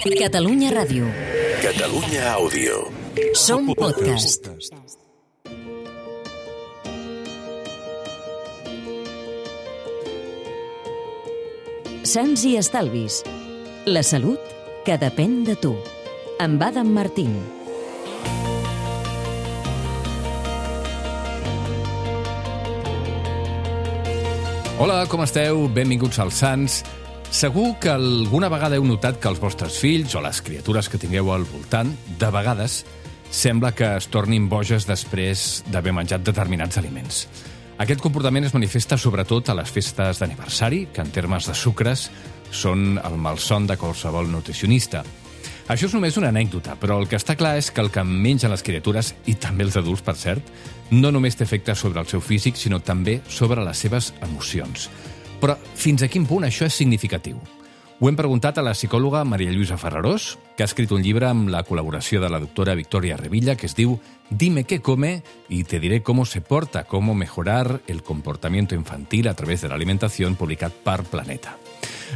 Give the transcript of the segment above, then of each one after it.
Catalunya Ràdio. Catalunya Àudio. Som podcast. Sants i estalvis. La salut que depèn de tu. Amb Adam Martín. Hola, com esteu? Benvinguts als Sants. Segur que alguna vegada heu notat que els vostres fills o les criatures que tingueu al voltant, de vegades, sembla que es tornin boges després d'haver menjat determinats aliments. Aquest comportament es manifesta sobretot a les festes d'aniversari, que en termes de sucres són el malson de qualsevol nutricionista. Això és només una anècdota, però el que està clar és que el que mengen les criatures, i també els adults, per cert, no només té efecte sobre el seu físic, sinó també sobre les seves emocions. Però fins a quin punt això és significatiu? Ho hem preguntat a la psicòloga Maria Lluïsa Ferrarós, que ha escrit un llibre amb la col·laboració de la doctora Victoria Revilla, que es diu Dime qué come y te diré cómo se porta, cómo mejorar el comportamiento infantil a través de la alimentación, publicat per Planeta.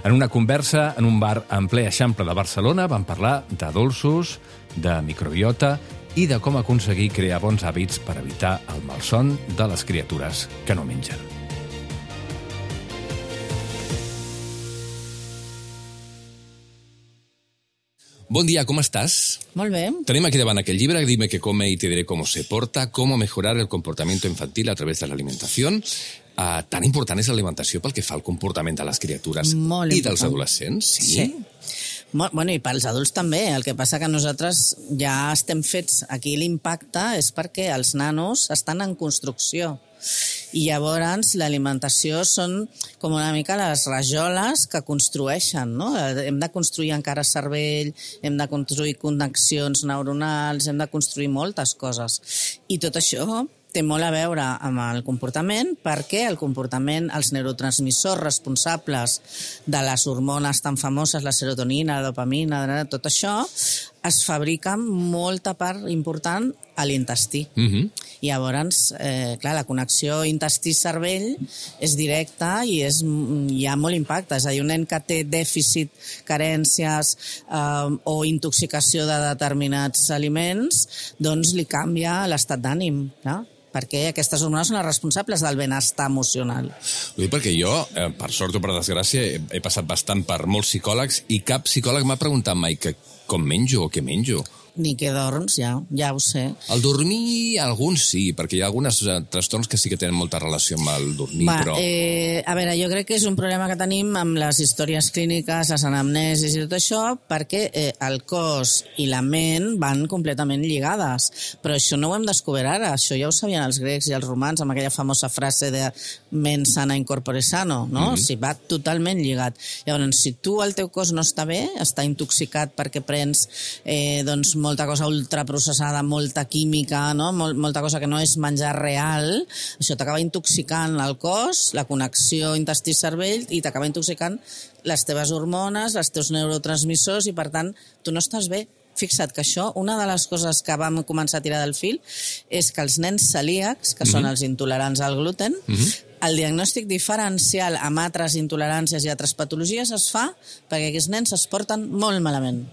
En una conversa en un bar en ple Eixample de Barcelona vam parlar de dolços, de microbiota i de com aconseguir crear bons hàbits per evitar el malson de les criatures que no mengen. Bon dia, com estàs? Molt bé. Tenim aquí davant aquell llibre, Dime qué come y te diré cómo se porta, cómo mejorar el comportamiento infantil a través de la alimentación. Tan important és l'alimentació pel que fa al comportament de les criatures i dels adolescents? Sí. Bueno, i pels adults també. El que passa que nosaltres ja estem fets... Aquí l'impacte és perquè els nanos estan en construcció. I llavors l'alimentació són com una mica les rajoles que construeixen, no? Hem de construir encara cervell, hem de construir connexions neuronals, hem de construir moltes coses. I tot això té molt a veure amb el comportament perquè el comportament, els neurotransmissors responsables de les hormones tan famoses, la serotonina, la dopamina, tot això, es fabrica molta part important a l'intestí. I llavors, clar, la connexió intestí-cervell és directa i hi ha molt impacte. És a dir, un nen que té dèficit, carències o intoxicació de determinats aliments, doncs li canvia l'estat d'ànim, no? Perquè aquestes hormones són les responsables del benestar emocional. Ho dic perquè jo, per sort o per desgràcia, he passat bastant per molts psicòlegs i cap psicòleg m'ha preguntat mai com menjo o què menjo. Ni que dorms, ja ho sé. El dormir, alguns sí, perquè hi ha alguns trastorns que sí que tenen molta relació amb el dormir, però... A veure, jo crec que és un problema que tenim amb les històries clíniques, les anamnesis i tot això, perquè el cos i la ment van completament lligades. Però això no ho hem descobert ara, això ja ho sabien els grecs i els romans amb aquella famosa frase de mens sana in corpore sano, no? O sigui, va totalment lligat. Llavors, si tu el teu cos no està bé, està intoxicat perquè prens, doncs, molta cosa ultraprocessada, molta química, no? Molta cosa que no és menjar real, això t'acaba intoxicant el cos, la connexió intestí-cervell, i t'acaba intoxicant les teves hormones, els teus neurotransmissors, i per tant, tu no estàs bé. Fixa't que això, una de les coses que vam començar a tirar del fil és que els nens celíacs, que són els intolerants al gluten, el diagnòstic diferencial amb altres intoleràncies i altres patologies es fa perquè aquests nens es porten molt malament.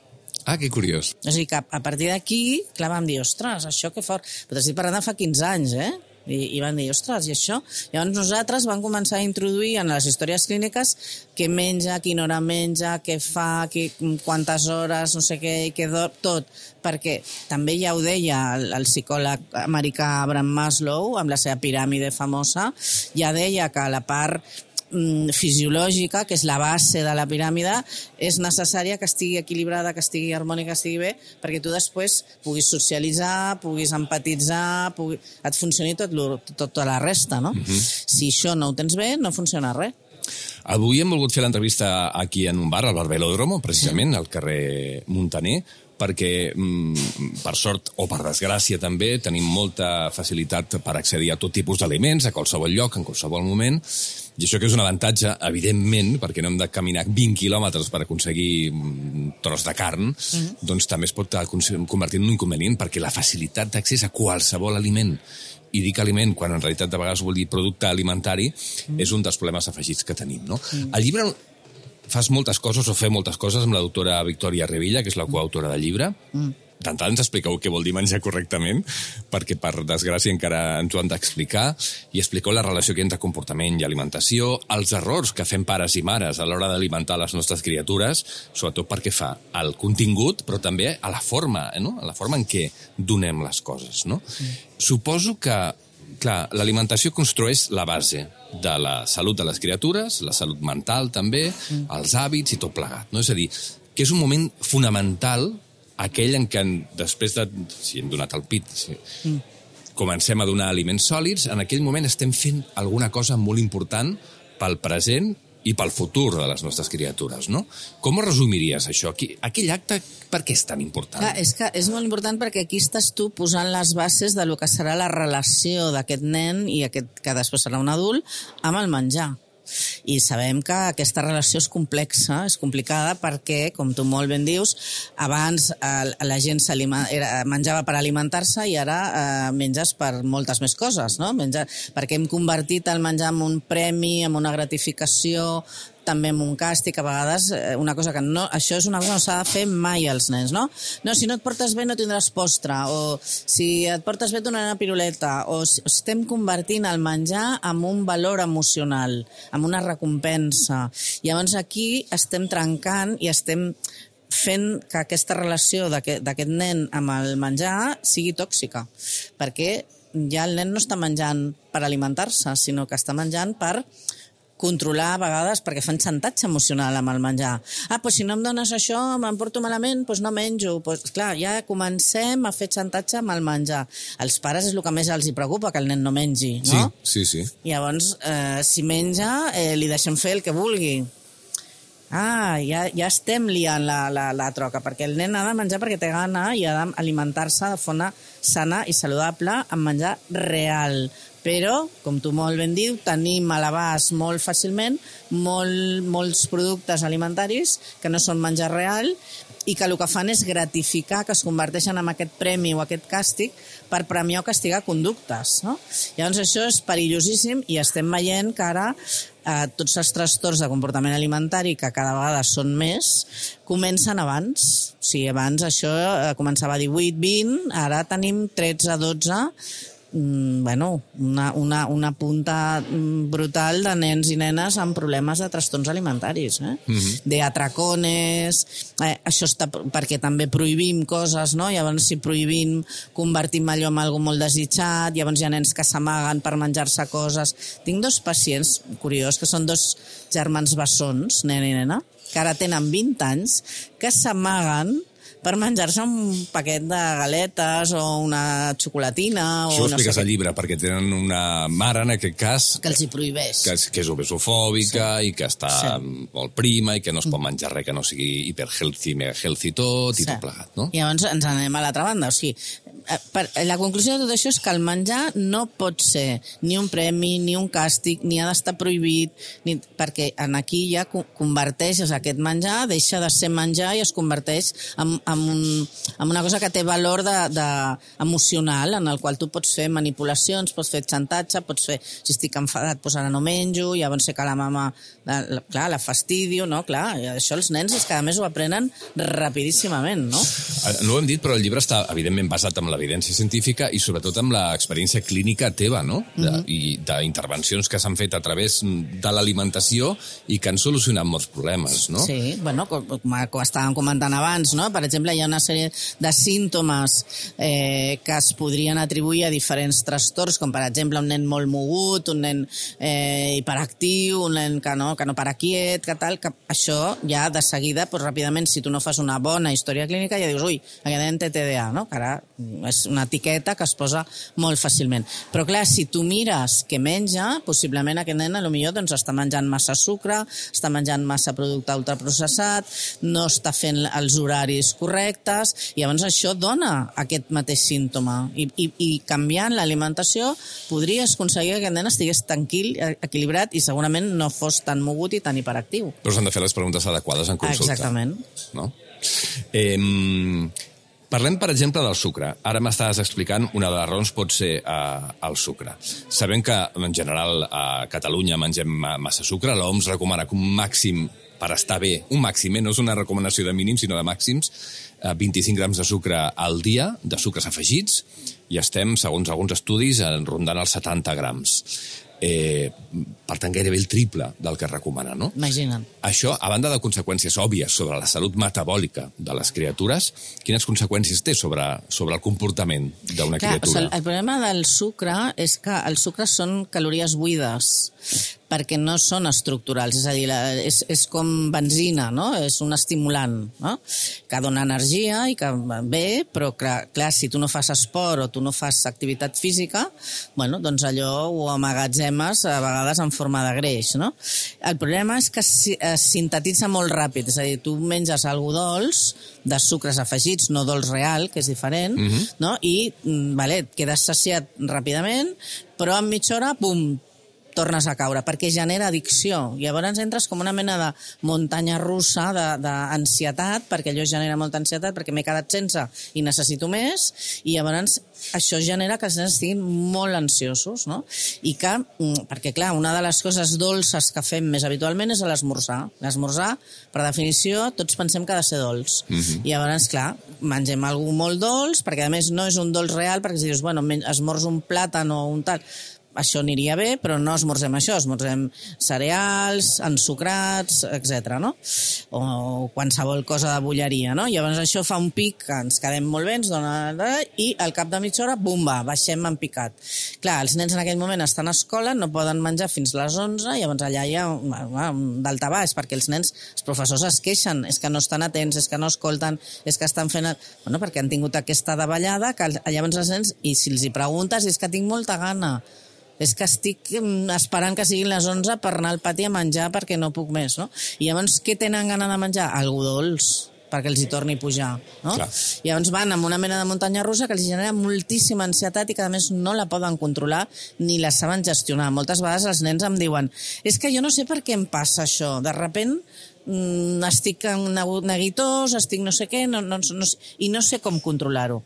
Ah, que curiós. O sigui que a partir d'aquí, clar, vam dir, ostres, això que fort. Però t'estic parlant de fa 15 anys, I van dir, ostres, i això? Llavors nosaltres vam començar a introduir en les històries clíniques què menja, quina hora menja, què fa, quantes hores, no sé què, què dorm, tot. Perquè també ja ho deia el psicòleg americà Abraham Maslow, amb la seva piràmide famosa, ja deia que la part fisiològica, que és la base de la piràmide, és necessària que estigui equilibrada, que estigui harmònica, que estigui bé, perquè tu després puguis socialitzar, puguis empatitzar, et funcioni tota la resta, no? Si això no ho tens bé, no funciona res. Avui hem volgut fer l'entrevista aquí en un bar, al Bar Velòdromo, precisament, al carrer Muntaner, perquè, per sort o per desgràcia també, tenim molta facilitat per accedir a tot tipus d'aliments, a qualsevol lloc, en qualsevol moment, i això que és un avantatge, evidentment, perquè no hem de caminar 20 quilòmetres per aconseguir un tros de carn, doncs també es pot convertir en un inconvenient, perquè la facilitat d'accés a qualsevol aliment, i dic aliment quan en realitat de vegades vol dir producte alimentari, és un dels problemes afegits que tenim, no? El llibre fas moltes coses o fer moltes coses amb la doctora Victòria Revilla, que és la coautora del llibre. Tant ens expliqueu què vol dir menjar correctament, perquè per desgràcia encara ens ho han d'explicar, i expliqueu la relació que hi ha entre comportament i alimentació, els errors que fem pares i mares a l'hora d'alimentar les nostres criatures, sobretot perquè fa al contingut, però també a la forma, no? A la forma en què donem les coses, no? Suposo que, clar, l'alimentació construeix la base de la salut de les criatures, la salut mental també, els hàbits i tot plegat, no? És a dir, que és un moment fonamental aquell en què després de, si hem donat el pit, comencem a donar aliments sòlids, en aquell moment estem fent alguna cosa molt important pel present i pel futur de les nostres criatures, no? Com ho resumiries, això? Aquell acte, per què és tan important? Clar, és que és molt important perquè aquí estàs tu posant les bases de lo que serà la relació d'aquest nen i aquest que després serà un adult amb el menjar. I sabem que aquesta relació és complexa, és complicada perquè, com tu molt ben dius, abans la gent menjava per alimentar-se i ara menges per moltes més coses, no? Perquè hem convertit el menjar en un premi, en una gratificació, també amb un càstig, a vegades una cosa que no... Això és una cosa que no s'ha de fer mai als nens, no? No, si no et portes bé no tindràs postre, o si et portes bé et donaré una piruleta, o estem convertint el menjar en un valor emocional, en una recompensa. I llavors aquí estem trencant i estem fent que aquesta relació d'aquest nen amb el menjar sigui tòxica, perquè ja el nen no està menjant per alimentar-se, sinó que està menjant per controlar a vegades, perquè fan xantatge emocional amb el menjar. Doncs si no em dones això, me'n porto malament, doncs no menjo. Clar, ja comencem a fer xantatge amb el menjar. Als pares és el que més els hi preocupa, que el nen no mengi, no? Sí. Llavors, si menja, li deixem fer el que vulgui. Ja estem liant la troca, perquè el nen ha de menjar perquè té gana i ha d'alimentar-se de forma sana i saludable amb menjar real. Però, com tu molt ben dius, tenim a l'abast molt fàcilment molts productes alimentaris que no són menjar real i que el que fan és gratificar, que es converteixen en aquest premi o aquest càstig per premiar o castigar conductes, no? Llavors això és perillosíssim i estem veient que ara tots els trastorns de comportament alimentari, que cada vegada són més, comencen abans. O sigui, abans això començava a 18-20, ara tenim 13-12, una punta brutal de nens i nenes amb problemes de trastorns alimentaris, de atracones, això està perquè també prohibim coses, no? Llavors si prohibim convertim allò en algo molt desitjat, llavors hi ha nens que s'amaguen per menjar-se coses. Tinc 2 pacients, curiós, que són 2 germans bessons, nen i nena, que ara tenen 20 anys, que s'amaguen per menjar-se un paquet de galetes o una xocolatina. Això ho expliques al llibre, perquè tenen una mare, en aquest cas... Que els hi prohibeix. Que és obesofòbica i que està molt prima i que no es pot menjar res que no sigui hiperhealthy, mega healthy tot i tot plegat, no? I llavors ens anem a l'altra banda. O sigui, la conclusió de tot això és que el menjar no pot ser ni un premi, ni un càstig, ni ha d'estar prohibit, perquè aquí ja converteixes aquest menjar, deixa de ser menjar i es converteix en una cosa que té valor emocional, en el qual tu pots fer manipulacions, pots fer xantatge, pots fer, si estic enfadat, doncs ara no menjo, llavors sé que la mama, clar, la fastidio, no? Clar, això els nens és que a més ho aprenen rapidíssimament, no? No ho hem dit, però el llibre està evidentment basat en l'evidència científica i sobretot amb l'experiència clínica teva, no? I d'intervencions que s'han fet a través de l'alimentació i que han solucionat molts problemes, no? Sí, bueno, com estàvem comentant abans, no? Per exemple, hi ha una sèrie de símptomes que es podrien atribuir a diferents trastorns, com per exemple un nen molt mogut, un nen hiperactiu, un nen que no para quiet, que tal, que això ja de seguida, doncs ràpidament, si tu no fas una bona història clínica, ja dius, ui, aquest nen té TDA, no? Que ara és una etiqueta que es posa molt fàcilment. Però clar, si tu mires què menja, possiblement aquest nen potser doncs, està menjant massa sucre, està menjant massa producte ultraprocessat, no està fent els horaris correctes, i llavors això dona aquest mateix símptoma. I canviant l'alimentació podries aconseguir que aquest nen estigués tranquil, equilibrat i segurament no fos tan mogut i tan hiperactiu. Però s'han de fer les preguntes adequades en consulta. Exactament. No? Parlem, per exemple, del sucre. Ara m'estaves explicant, una de les raons pot ser el sucre. Sabem que, en general, a Catalunya mengem massa sucre. L'OMS recomana que un màxim per estar bé, un màxim, no és una recomanació de mínims, sinó de màxims, 25 grams de sucre al dia, de sucres afegits, i estem, segons alguns estudis, rondant els 70 grams. Per tant, gairebé el triple del que es recomana, no? Imagina't. Això, a banda de conseqüències òbvies sobre la salut metabòlica de les criatures, quines conseqüències té sobre el comportament d'una criatura? El problema del sucre és que els sucres són calories buides, perquè no són estructurals, és a dir, és com benzina, no? És un estimulant, no? Que dona energia i que bé, però clar, si tu no fas esport o tu no fas activitat física, bueno, doncs allò ho amagatzemes a vegades en forma de greix, no? El problema és que es sintetitza molt ràpid, és a dir, tu menges algo dolç, de sucres afegits, no dolç real, que és diferent, no? I et quedes saciat ràpidament, però en mitja hora, pum, tornes a caure, perquè genera addicció. Llavors entres com una mena de muntanya russa d'ansietat, perquè allò genera molta ansietat, perquè m'he quedat sense i necessito més, i llavors això genera que els nens estiguin molt ansiosos, no? I que, perquè clar, una de les coses dolces que fem més habitualment és l'esmorzar. L'esmorzar, per definició, tots pensem que ha de ser dolç. I llavors, clar, mengem alguna molt dolç, perquè a més no és un dolç real, perquè si dius, bueno, esmorzo un plàtan o un tal, això aniria bé, però no esmorzem això, esmorzem cereals, ensucrats, etc., no? O qualsevol cosa de bolleria, no? Llavors això fa un pic que ens quedem molt bé, ens dona... i al cap de mitja hora, bumba, baixem en picat. Clar, els nens en aquell moment estan a escola, no poden menjar fins les 11, llavors allà hi ha daltabaix, perquè els nens, els professors es queixen, és que no estan atents, és que no escolten, és que estan fent... Bueno, perquè han tingut aquesta davallada, que llavors els nens, i si els hi preguntes, és que tinc molta gana, és que estic esperant que siguin les 11 per anar al pati a menjar perquè no puc més, no? I llavors, què tenen gana de menjar? Algo dolç, perquè els hi torni a pujar, no? Clar. I llavors van amb una mena de muntanya russa que els genera moltíssima ansietat i que a més no la poden controlar ni la saben gestionar. Moltes vegades els nens em diuen, és que jo no sé per què em passa això, de sobte estic neguitós, estic no sé què, i no sé com controlar-ho.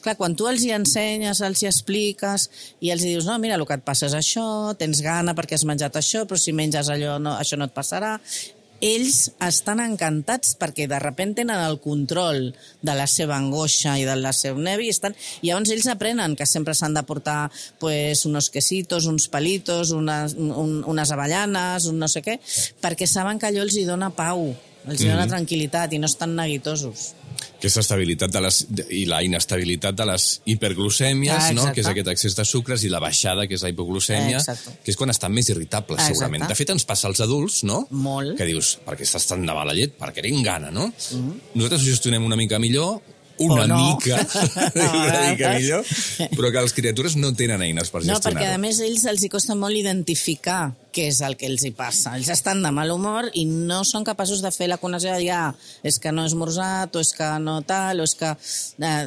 Clar, quan tu els hi ensenyes, els hi expliques, i els hi dius, no, mira, el que et passa és això, tens gana perquè has menjat això, però si menges allò, no, això no et passarà. Ells estan encantats perquè de sobte tenen el control de la seva angoixa i del seu nervi i llavors ells aprenen que sempre s'han de portar pues, unos quesitos, uns palitos, unes avellanes, un no sé què, perquè saben que allò els hi dona pau, els hi dona tranquil·litat i no estan neguitosos. Aquesta estabilitat i la inestabilitat de les hiperglucèmies, no? Que és aquest excés de sucres, i la baixada, que és la hipoglucèmia, que és quan estan més irritables, segurament. De fet, ens passa als adults, no? Molt. Que dius, per què estàs tan de mala llet? Perquè tinc gana, no? Nosaltres ho gestionem una mica millor, una mica millor, però que les criatures no tenen eines per gestionar-ho. No, perquè a més ells els hi costa molt identificar què és el que els hi passa. Ells estan de mal humor i no són capaços de fer la connexió de dir, és que no he esmorzat, o és que no tal, o és que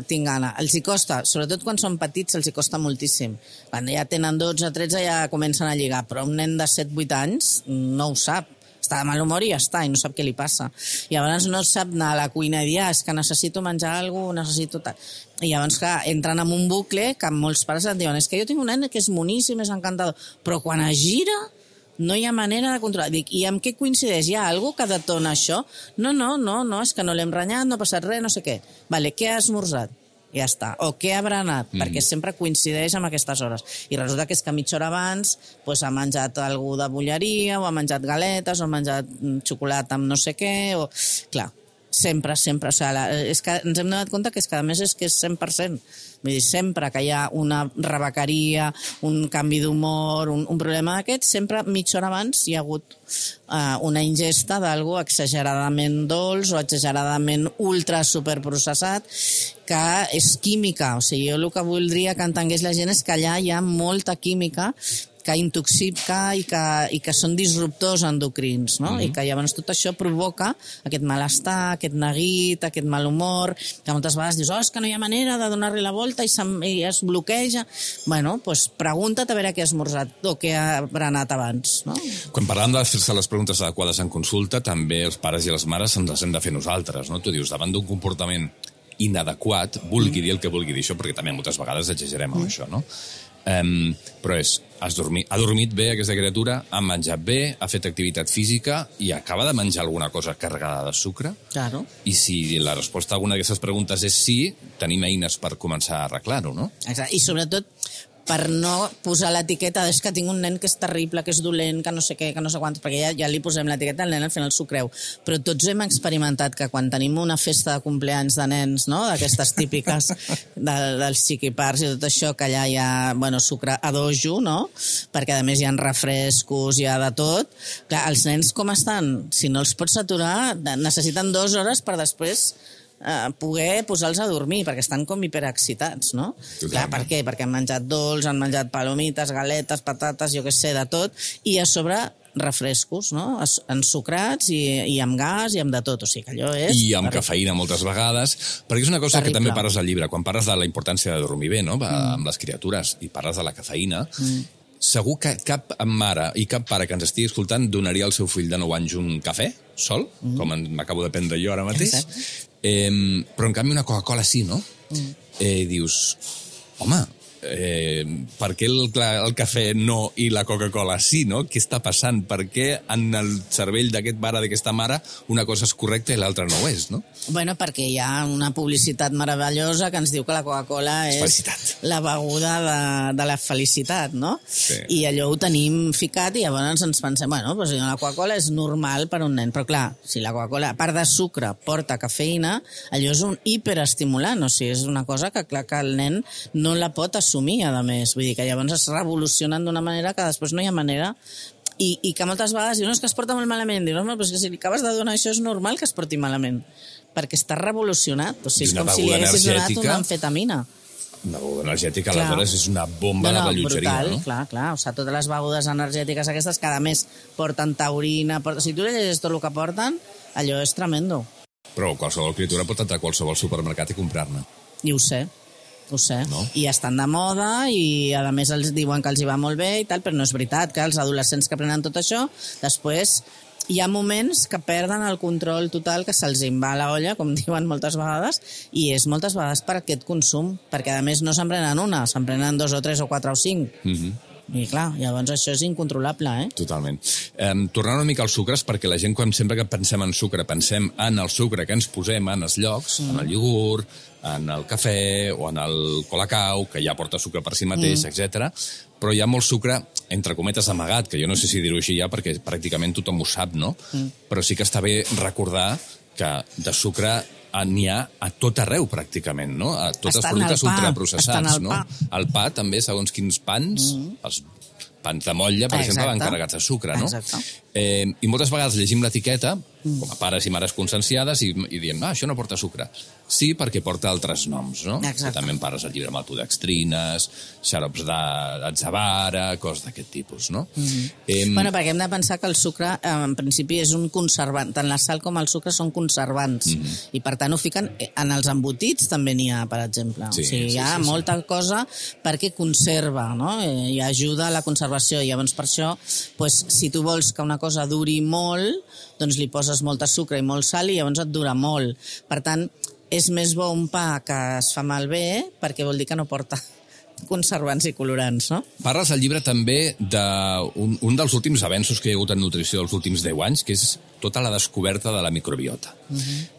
tinc gana. Els hi costa, sobretot quan són petits, els hi costa moltíssim. Quan ja tenen 12 o 13 ja comencen a lligar, però un nen de 7-8 anys no ho sap. Està de mal humor i ja està, i no sap què li passa. I llavors no sap anar a la cuina i dir, és que necessito menjar alguna cosa, necessito tal. I llavors, clar, entren en un bucle que molts pares et diuen, és que jo tinc un nen que és moníssim, és encantador, però quan es gira no hi ha manera de controlar. Dic, i amb què coincideix? Hi ha alguna cosa que detona això? No, és que no l'hem renyat, no ha passat res, no sé què. Vale, què ha esmorzat? Ja està. O què ha berenat? Perquè sempre coincideix amb aquestes hores. I resulta que és que mitja hora abans ha menjat alguna de bolleria, o ha menjat galetes, o ha menjat xocolata amb no sé què, o... Clar, sempre. O sigui, és que ens hem donat compte que és que a més és que és 100%. Vull dir, sempre que hi ha una rebequeria, un canvi d'humor, un problema d'aquest, sempre mitja hora abans hi ha hagut una ingesta d'algú exageradament dolç o exageradament ultra superprocessat, que és química. O sigui, jo el que voldria que entengués la gent és que allà hi ha molta química que intoxica i que són disruptors endocrins, no? I que llavors tot això provoca aquest malestar, aquest neguit, aquest mal humor, que moltes vegades dius, és que no hi ha manera de donar-li la volta i es bloqueja. Bueno, doncs pregunta't a veure què ha esmorzat o què ha berenat abans, no? Quan parlem de fer-se les preguntes adequades en consulta, també els pares i les mares ens les hem de fer nosaltres, no? Tu dius, davant d'un comportament inadequat, vulgui dir el que vulgui dir això, perquè també moltes vegades exagerem amb això, no? Però ha dormit bé aquesta criatura, ha menjat bé, ha fet activitat física i acaba de menjar alguna cosa carregada de sucre. Claro. I si la resposta a alguna d'aquestes preguntes és sí, tenim eines per començar a arreglar-ho, no? Exacte. I sobretot per no posar l'etiqueta és que tinc un nen que és terrible, que és dolent, que no sé què, que no sé quants, perquè ja li posem l'etiqueta, el nen al final s'ho creu. Però tots hem experimentat que quan tenim una festa de compleanys de nens, no?, d'aquestes típiques dels xiquipars i tot això, que allà hi ha sucre a dojo, no?, perquè a més hi ha refrescos, hi ha de tot. Clar, els nens com estan? Si no els pots aturar, necessiten 2 hores per després poder posar-los a dormir, perquè estan com hiperexcitats, no? Clar, per què? Perquè han menjat dolç, han menjat palomites, galetes, patates, jo què sé, de tot, i a sobre refrescos, no?, ensucrats i amb gas i amb de tot, o sigui que allò és... I amb cafeïna moltes vegades, perquè és una cosa que també parles al llibre, quan parles de la importància de dormir bé, no?, amb les criatures, i parles de la cafeïna, segur que cap mare i cap pare que ens estigui escoltant donaria al seu fill de 9 anys un cafè, sol, com m'acabo de prendre jo ara mateix. Però en canvi una Coca-Cola sí, no? Dius, home, per què el cafè no i la Coca-Cola sí, no? Què està passant? Per què en el cervell d'aquest pare, d'aquesta mare, una cosa és correcta i l'altra no ho és, no? Bueno, perquè hi ha una publicitat meravellosa que ens diu que la Coca-Cola és la beguda de la felicitat, no? Sí. I allò ho tenim ficat i llavors ens pensem, doncs la Coca-Cola és normal per a un nen, però clar, si la Coca-Cola, a part de sucre, porta cafeïna, allò és un hiperestimulant, o sigui, és una cosa que clar que el nen no la pot assumir, a més. Vull dir que llavors es revolucionen d'una manera que després no hi ha manera i que moltes vegades diuen, no, és que es porta molt malament. Dius, no, però és que si li acabes de donar això és normal que es porti malament, perquè està revolucionat. O sigui, és com si li haguessis donat una amfetamina. Una beguda energètica, aleshores, és una bomba de rellotgeria, brutal, no? Clar. O sigui, totes les begudes energètiques aquestes, cada mes porten taurina, si tu llegeixes tot el que porten, allò és tremendo. Però qualsevol criatura pot entrar a qualsevol supermercat i comprar-ne. I ho sé, no? I estan de moda i a més els diuen que els hi va molt bé i tal, però no és veritat que els adolescents que prenen tot això, després hi ha moments que perden el control total, que se'ls en va a la olla, com diuen moltes vegades, i és moltes vegades per aquest consum, perquè a més no se'n prenen una, se'n prenen 2 o 3 o 4 o 5. I clar, llavors això és incontrolable, Totalment. Tornant una mica als sucres, perquè la gent, quan sempre que pensem en sucre, pensem en el sucre que ens posem en els llocs, en el iogurt, en el cafè o en el colacau, que ja porta sucre per si mateix, etc. Però hi ha molt sucre, entre cometes, amagat, que jo no sé si dir-ho així ja, perquè pràcticament tothom ho sap, no? Però sí que està bé recordar que de sucre n'hi ha a tot arreu, pràcticament, no? A tots els productes ultraprocessats, no? El pa, també, segons quins pans, els pans de motlla, per exemple, van carregats de sucre, no? I moltes vegades llegim l'etiqueta, com a pares i mares conscienciades, i diem, això no porta sucre. Sí, perquè porta altres noms, no? També en parles al llibre, maltodextrines, xarops d'atzavara, coses d'aquest tipus, no? Bueno, perquè hem de pensar que el sucre, en principi, és un conservant. Tant la sal com el sucre són conservants. I, per tant, ho fiquen en els embotits, també n'hi ha, per exemple. O sigui, hi ha molta cosa perquè conserva, no? I ajuda a la conservació. I llavors, per això, si tu vols que una cosa duri molt, doncs li poses molta sucre i molt sal i llavors et dura molt. Per tant, és més bo un pa que es fa malbé perquè vol dir que no porta conservants i colorants, no? Parles al llibre també d'un dels últims avenços que hi ha hagut en nutrició dels últims 10 anys, que és tota la descoberta de la microbiota.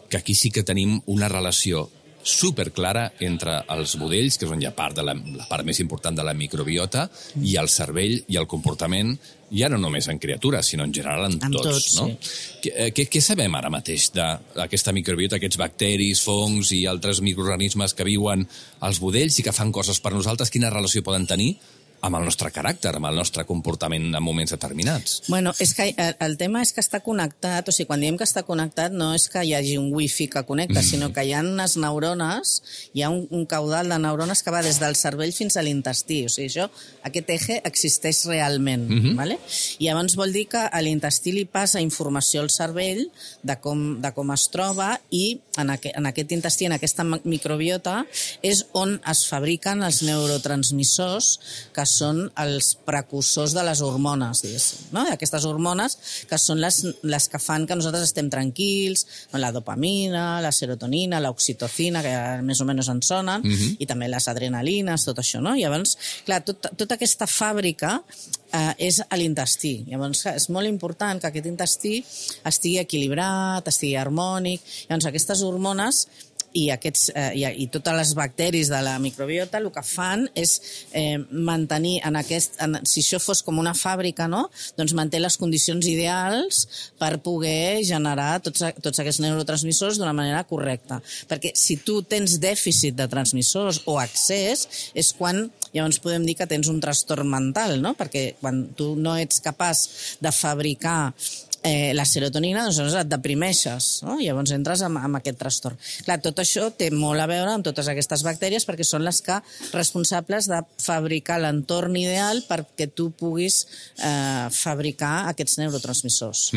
Que aquí sí que tenim una relació superclara entre els budells, que és on hi ha la part més important de la microbiota, i el cervell i el comportament, ja no només en criatures, sinó en general en tots, no? Què sabem ara mateix d'aquesta microbiota, aquests bacteris, fongs i altres microorganismes que viuen als budells i que fan coses per nosaltres? Quina relació poden tenir amb el nostre caràcter, amb el nostre comportament en moments determinats? Bueno, és que el tema és que està connectat, o sigui, quan diem que està connectat no és que hi hagi un wifi que connecta, sinó que hi ha unes neurones, hi ha un caudal de neurones que va des del cervell fins a l'intestí, o sigui, aquest eje existeix realment, ¿vale? I llavors vol dir que a l'intestí li passa informació al cervell de com es troba i en aquest intestí, en aquesta microbiota, és on es fabriquen els neurotransmissors que són els precursors de les hormones, diguéssim, no? Aquestes hormones que són les que fan que nosaltres estem tranquils, no? La dopamina, la serotonina, l'oxitocina, que més o menys ens sonen, i també les adrenalines, tot això, no? Llavors, clar, tota aquesta fàbrica és a l'intestí. Llavors, és molt important que aquest intestí estigui equilibrat, estigui harmònic. Llavors, aquestes hormones i totes les bacteris de la microbiota el que fan és mantenir si això fos com una fàbrica, no? Doncs manté les condicions ideals per poder generar tots aquests neurotransmissors d'una manera correcta. Perquè si tu tens dèficit de transmissors o excés, és quan llavors podem dir que tens un trastorn mental, no? Perquè quan tu no ets capaç de fabricar la serotonina, doncs et deprimeixes, no? I llavors entres amb aquest trastorn. Clar, tot això té molt a veure amb totes aquestes bactèries perquè són les que responsables de fabricar l'entorn ideal perquè tu puguis fabricar aquests neurotransmissors.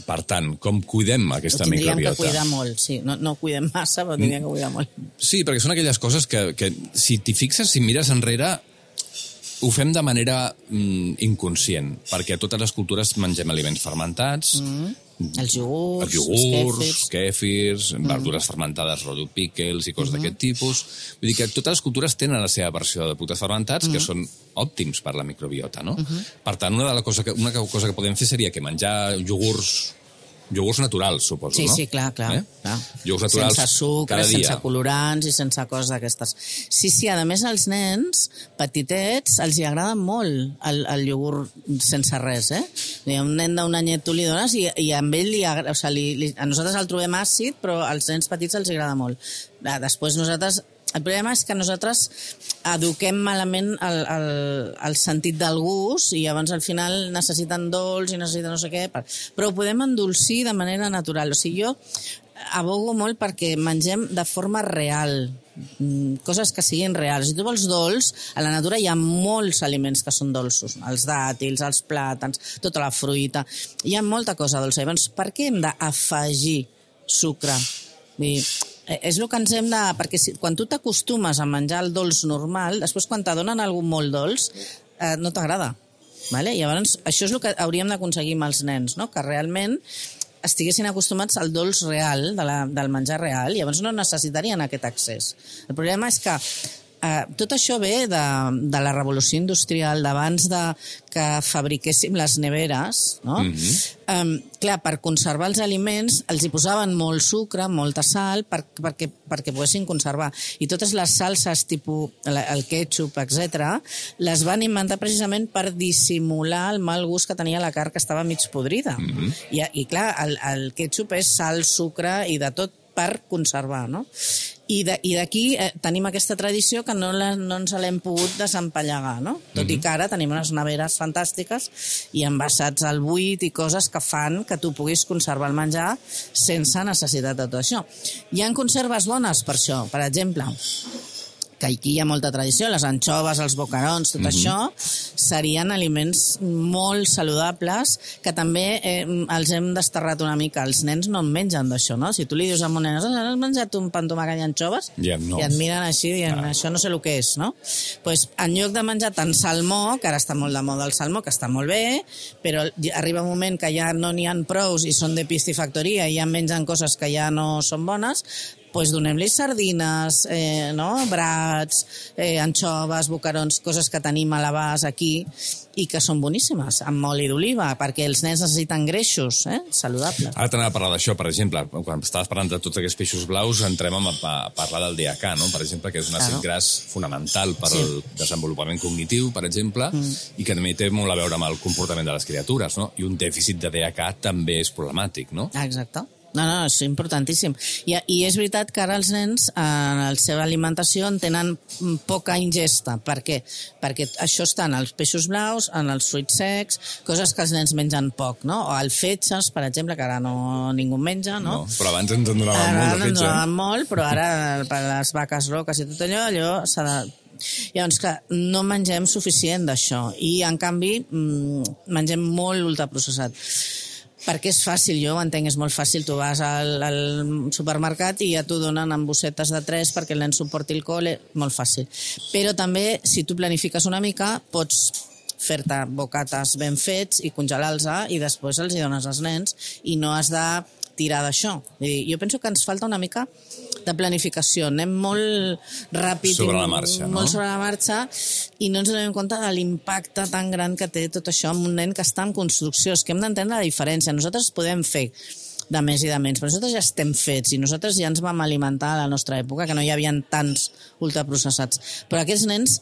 Per tant, com cuidem aquesta microbiota? Tindríem que cuidar molt, sí. No cuidem massa, però tindríem que cuidar molt. Sí, perquè són aquelles coses que si t'hi fixes, si mires enrere, ho fem de manera inconscient, perquè a totes les cultures mengem aliments fermentats, els iogurts, kèfirs, verdures fermentades, rotllo pickles i coses d'aquest tipus. Vull dir que totes les cultures tenen la seva versió de productes fermentats que són òptims per la microbiota, no? Per tant, una cosa que podem fer seria que menjar iogurts naturals, suposo, no? Sí, clar. Iogurts naturals sense sucre, cada dia. sense colorants i sense coses d'aquestes. Sí, a més als nens petitets els hi agrada molt el iogurt sense res, Un nen d'un anyet tu li dones i amb ell a nosaltres el trobem àcid, però als nens petits els agrada molt. Després el problema és que nosaltres eduquem malament el sentit del gust i llavors al final necessiten dolç i necessiten no sé què, però ho podem endolcir de manera natural. O sigui, jo abogo molt perquè mengem de forma real, coses que siguin reals. Si tu vols dolç, a la natura hi ha molts aliments que són dolços, els dàtils, els plàtans, tota la fruita, hi ha molta cosa dolça. Llavors, per què hem d'afegir sucre? És el que ens hem de... Perquè quan tu t'acostumes a menjar el dolç normal, després quan t'adonen algú molt dolç, no t'agrada. Vale? Llavors, això és el que hauríem d'aconseguir amb els nens, no? Que realment estiguessin acostumats al dolç real, del menjar real, i llavors no necessitarien aquest accés. El problema és que tot això ve de la revolució industrial, d'abans que fabriquéssim les neveres, no? Clar, per conservar els aliments els hi posaven molt sucre, molta sal, perquè poguessin conservar. I totes les salses, tipus el ketchup, etc., les van inventar precisament per dissimular el mal gust que tenia la carn que estava mig podrida. I clar, el ketchup és sal, sucre i de tot per conservar, no? I d'aquí tenim aquesta tradició que no ens l'hem pogut desempallegar, no? Tot i que ara tenim unes neveres fantàstiques i envasats al buit i coses que fan que tu puguis conservar el menjar sense necessitat de tot això. Hi ha conserves bones per això. Per exemple, que aquí hi ha molta tradició, les anxoves, els boquerons, tot això serien aliments molt saludables que també els hem desterrat una mica. Els nens no en mengen d'això, no? Si tu li dius a un nen, has menjat un pa amb tomàquet i anxoves? I et miren així dient, això no sé el que és, no? Doncs en lloc de menjar tant salmó, que ara està molt de moda el salmó, que està molt bé, però arriba un moment que ja no n'hi ha prous i són de piscifactoria i ja mengen coses que ja no són bones, doncs donem-li sardines, brats, anxoves, boquerons, coses que tenim a l'abast aquí i que són boníssimes, amb oli d'oliva, perquè els nens necessiten greixos saludables. Ara t'anava a parlar d'això, per exemple, quan estaves parlant de tots aquests peixos blaus, entrem a parlar del DHA, no? Per exemple, que és un àcid gras fonamental per al desenvolupament cognitiu, per exemple, i que també té molt a veure amb el comportament de les criatures, no? I un dèficit de DHA també és problemàtic, no? Exacte. No, és importantíssim. I és veritat que ara els nens en la seva alimentació en tenen poca ingesta. Per què? Perquè això està en els peixos blaus, en els fruits secs, coses que els nens mengen poc, no? O el fetges, per exemple, que ara ningú menja, no? Però abans ens en donaven molt de fetge. Ens donaven molt, però ara per les vaques roques i tot allò s'ha de... Llavors, que no mengem suficient d'això i, en canvi, mengem molt ultraprocessat. perquè és fàcil, jo ho entenc, és molt fàcil, tu vas al supermercat i ja t'ho donen en bossetes de 3 perquè el nen suporti el col, molt fàcil. Però també, si tu planifiques una mica, pots fer-te bocates ben fets i congelar-los i després els hi dones als nens i no has de tirar d'això. Jo penso que ens falta una mica de planificació. Anem molt ràpid, sobre la marxa, molt sobre la marxa i no ens donem compte de l'impacte tan gran que té tot això amb un nen que està en construcció. És que hem d'entendre la diferència. Nosaltres podem fer de més i de menys, però nosaltres ja estem fets i nosaltres ja ens vam alimentar a la nostra època, que no hi havia tants ultraprocessats. Però aquests nens,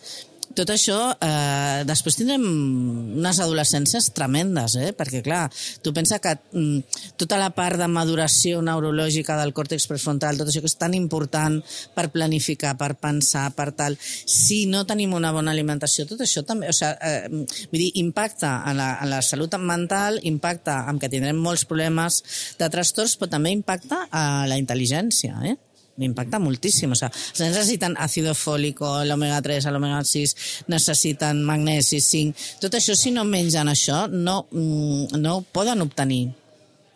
tot això, després tindrem unes adolescències tremendes, perquè, clar, tu pensa que tota la part de maduració neurològica del còrtex prefrontal, tot això que és tan important per planificar, per pensar, per tal, si no tenim una bona alimentació, tot això també, vull dir, impacta en la salut mental, impacta en que tindrem molts problemes de trastorns, però també impacta a la intel·ligència, impacta moltíssim. Els nens necessiten àcido fòlico, l'omega 3, l'omega 6, necessiten magnesi, zinc. Tot això, si no mengen això, no ho poden obtenir.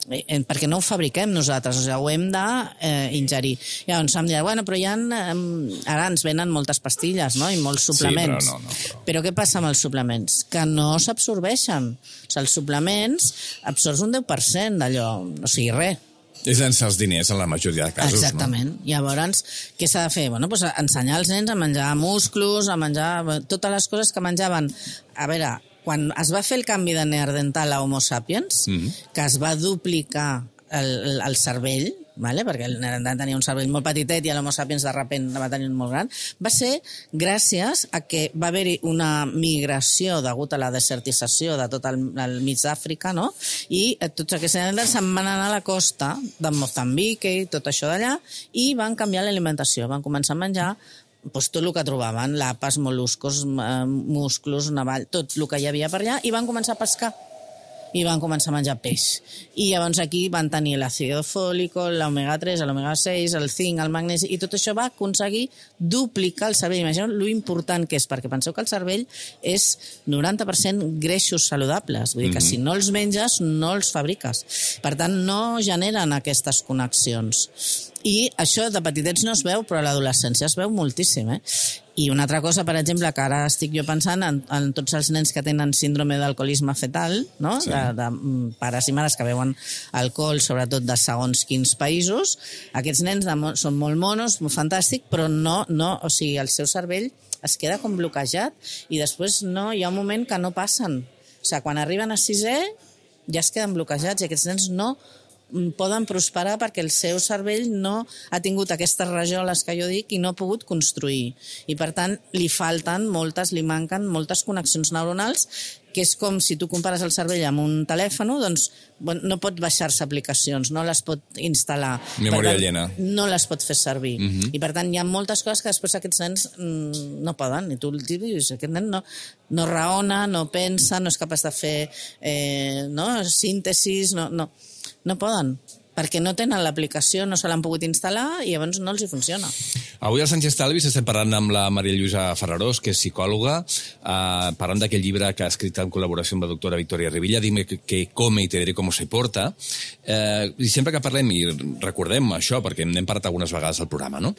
Perquè no ho fabriquem nosaltres, ho hem d'ingerir. Llavors em dirà, bueno, però ara ens venen moltes pastilles, no? I molts suplements. Sí, però què passa amb els suplements? Que no s'absorbeixen. Els suplements absorbs un 10% d'allò, o sigui, res. És llançar els diners en la majoria de casos. Exactament. No? Llavors, què s'ha de fer? Bueno, doncs ensenyar els nens a menjar musclos, a menjar totes les coses que menjaven. A veure, quan es va fer el canvi de neandertal a Homo sapiens, que es va duplicar el cervell, vale? Perquè el neandertal tenia un cervell molt petitet i l'Homo sapiens de sobte va tenir un molt gran, va ser gràcies a que va haver-hi una migració degut a la desertització de tot el mig d'Àfrica, no? I tots aquests neandertals se'n van anar a la costa de Moçambic i tot això d'allà i van canviar l'alimentació, van començar a menjar tot el que trobaven, lapes, mol·luscos, musclos, navall, tot el que hi havia per allà, i van començar a pescar. I van començar a menjar peix. I llavors aquí van tenir l'àcido fòlico, l'omega 3, l'omega 6, el zinc, el magnesi, i tot això va aconseguir duplicar el cervell. Imagineu lo important que és, perquè penseu que el cervell és 90% greixos saludables. Vull dir que si no els menges, no els fabriques. Per tant, no generen aquestes connexions. I això de petitets no es veu, però a l'adolescència es veu moltíssim, I una altra cosa, per exemple, que ara estic jo pensant en tots els nens que tenen síndrome d'alcoholisme fetal, no? Sí. De pares i mares que beuen alcohol, sobretot de segons quins països. Aquests nens són molt monos, molt fantàstic, però o sigui, el seu cervell es queda com bloquejat i després hi ha un moment que no passen. O sigui, quan arriben a 6è ja es queden bloquejats i aquests nens no poden prosperar perquè el seu cervell no ha tingut aquestes rajoles que jo dic i no ha pogut construir. I per tant li manquen moltes connexions neuronals, que és com si tu compares el cervell amb un telèfon, doncs no pot baixar-se aplicacions, no les pot instal·lar. Memòria llena. No les pot fer servir. I per tant hi ha moltes coses que després aquests nens no poden. I tu dius, aquest nen no raona, no pensa, no és capaç de fer síntesis, no poden, perquè no tenen l'aplicació, no se l'han pogut instal·lar i llavors no els hi funciona. Avui al Sánchez Talvis estem parlant amb la Maria Lluïsa Ferrarós, que és psicòloga, parlant d'aquell llibre que ha escrit en col·laboració amb la doctora Victoria Rivilla, Dime que come y te diré cómo se porta. I sempre que parlem, i recordem això, perquè n'hem parlat algunes vegades al programa, no?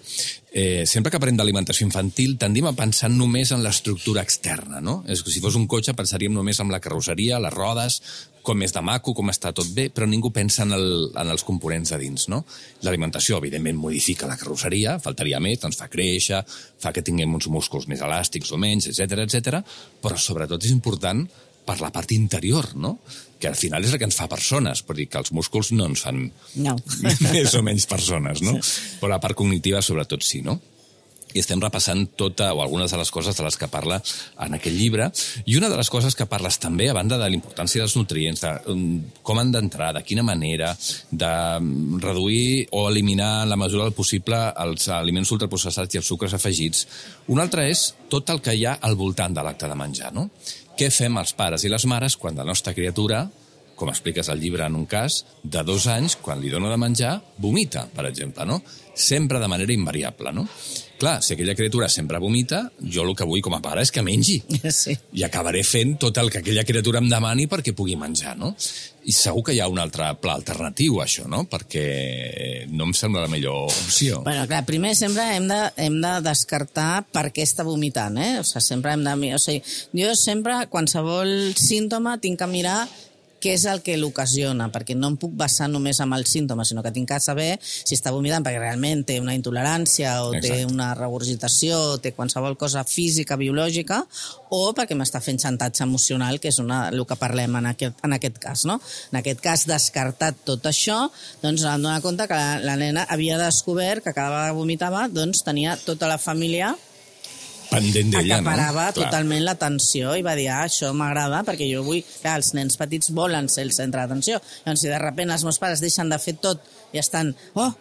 Sempre que parlem d'alimentació infantil tendim a pensar només en l'estructura externa, no? És que si fos un cotxe pensaríem només en la carrosseria, les rodes, com és de maco, com està tot bé, però ningú pensa en els components de dins, no? L'alimentació, evidentment, modifica la carrosseria, faltaria més, ens fa créixer, fa que tinguem uns músculs més elàstics o menys, etc, però sobretot és important per la part interior, no? Que al final és el que ens fa persones, per dir que els músculs no ens fan més o menys persones, no? Però la part cognitiva sobretot sí, no? I estem repassant algunes de les coses de les que parla en aquest llibre. I una de les coses que parles també, a banda de la importància dels nutrients, de com han d'entrar, de quina manera, de reduir o eliminar en la mesura del possible els aliments ultraprocessats i els sucres afegits. Una altra és tot el que hi ha al voltant de l'acte de menjar, no? Què fem els pares i les mares quan la nostra criatura com expliques al llibre en un cas, de 2 anys, quan li dona de menjar, vomita, per exemple, no? Sempre de manera invariable, no? Clar, si aquella criatura sempre vomita, jo el que vull com a pare és que mengi. Sí. I acabaré fent tot el que aquella criatura em demani perquè pugui menjar, no? I segur que hi ha un altre pla alternatiu a això, no? Perquè no em sembla la millor opció. Bueno, clar, primer sempre hem de descartar per què està vomitant, O sigui, sempre hem de... O sigui, jo sempre, qualsevol símptoma, tinc que mirar què és el que l'ocasiona, perquè no em puc basar només en el símptoma, sinó que tinc que saber si està vomitant perquè realment té una intolerància o té una regurgitació o té qualsevol cosa física, biològica, o perquè m'està fent xantatge emocional, que és el que parlem en aquest cas, no? En aquest cas, descartat tot això, doncs em dono compte que la nena havia descobert que cada vegada que vomitava doncs tenia tota la família pendent d'ella, no? Acaparava totalment l'atenció i va dir, això m'agrada perquè jo vull... Clar, els nens petits volen ser el centre d'atenció. Doncs si de sobte els meus pares deixen de fer tot i estan,